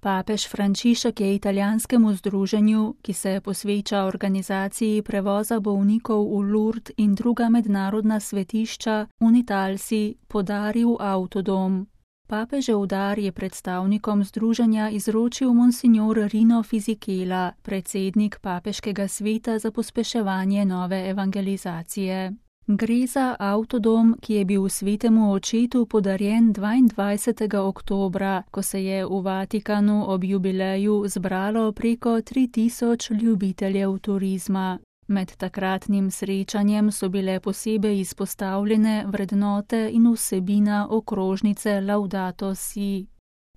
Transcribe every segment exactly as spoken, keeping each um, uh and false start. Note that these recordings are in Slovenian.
Papež Frančišek je italijanskemu združenju, ki se posveča organizaciji prevoza bolnikov v Lourdes in druga mednarodna svetišča, Unitalsi, podaril avtodom. Papežev dar je predstavnikom združenja izročil monsignor Rino Fisichella, predsednik Papeškega sveta za pospeševanje nove evangelizacije. Gre za avtodom, ki je bil svetemu očetu podarjen dvaindvajsetega oktobra, ko se je v Vatikanu ob jubileju zbralo preko tri tisoč ljubiteljev turizma. Med takratnim srečanjem so bile posebej izpostavljene vrednote in vsebina okrožnice Laudato Si.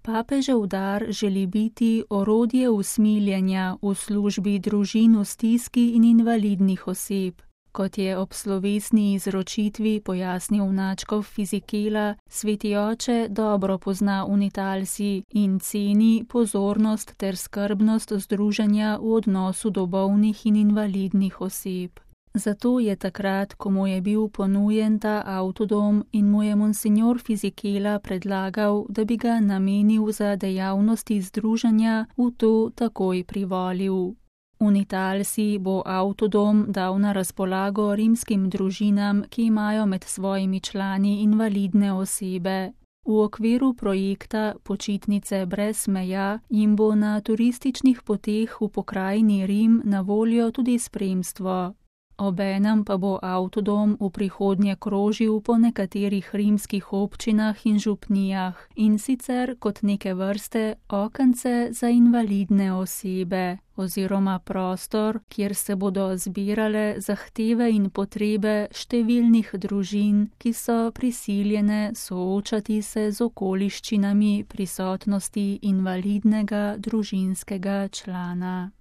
Papežev dar želi biti orodje usmiljenja v službi družin v stiski in invalidnih oseb. Kot je ob slovesni izročitvi pojasnil nadškof Fisichella, sveti oče dobro pozna Unitalsi in ceni pozornost ter skrbnost združenja v odnosu do bolnih in invalidnih oseb. Zato je takrat, ko mu je bil ponujen ta avtodom in mu je monsignor Fisichella predlagal, da bi ga namenil za dejavnosti združenja, v to takoj privolil. Unitalsi bo avtodom dal na razpolago rimskim družinam, ki imajo med svojimi člani invalidne osebe. V okviru projekta Počitnice brez meja jim bo na turističnih poteh v pokrajini Rim na voljo tudi spremstvo. Obenem pa bo avtodom v prihodnje krožil po nekaterih rimskih občinah in župnijah, in sicer kot neke vrste okence za invalidne osebe oziroma prostor, kjer se bodo zbirale zahteve in potrebe številnih družin, ki so prisiljene soočati se z okoliščinami prisotnosti invalidnega družinskega člana.